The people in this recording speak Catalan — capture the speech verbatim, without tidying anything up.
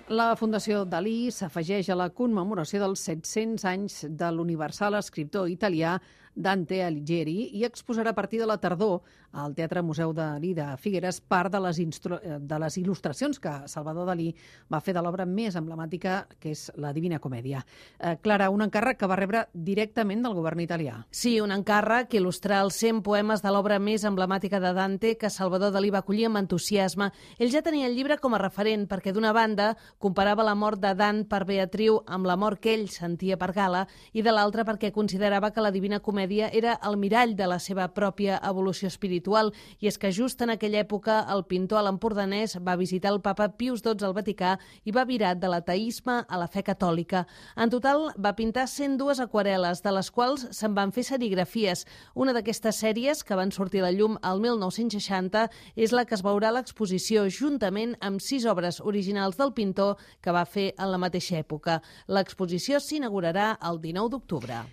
La Fundació Dalí s'afegeix a la commemoració dels set-cents anys de l'universal escriptor italià Dante Alighieri i exposarà a partir de la tardor al Teatre Museu Dalí de Figueres part de les, instru- de les il·lustracions que Salvador Dalí va fer de l'obra més emblemàtica, que és la Divina Comèdia. Eh, Clara, un encàrrec que va rebre directament del govern italià. Sí, un encàrrec que il·lustrar els cent poemes de l'obra més emblemàtica de Dante que Salvador Dalí va acollir amb entusiasme. Ell ja tenia el llibre com a referent perquè, d'una banda, comparava la mort de Dan per Beatriu amb la mort que ell sentia per Gala i, de l'altra, perquè considerava que la Divina Comèdia era el mirall de la seva pròpia evolució espiritual. I és que just en aquella època el pintor a l'empordanès va visitar el papa Pius dotze al Vaticà i va virar de l'ateisme a la fe catòlica. En total va pintar cent dues aquarel·les, de les quals se'n van fer serigrafies. Una d'aquestes sèries, que van sortir a la llum al mil nou-cents seixanta, és la que es veurà a l'exposició juntament amb sis obres originals del pintor que va fer en la mateixa època. L'exposició s'inaugurarà el dinou d'octubre.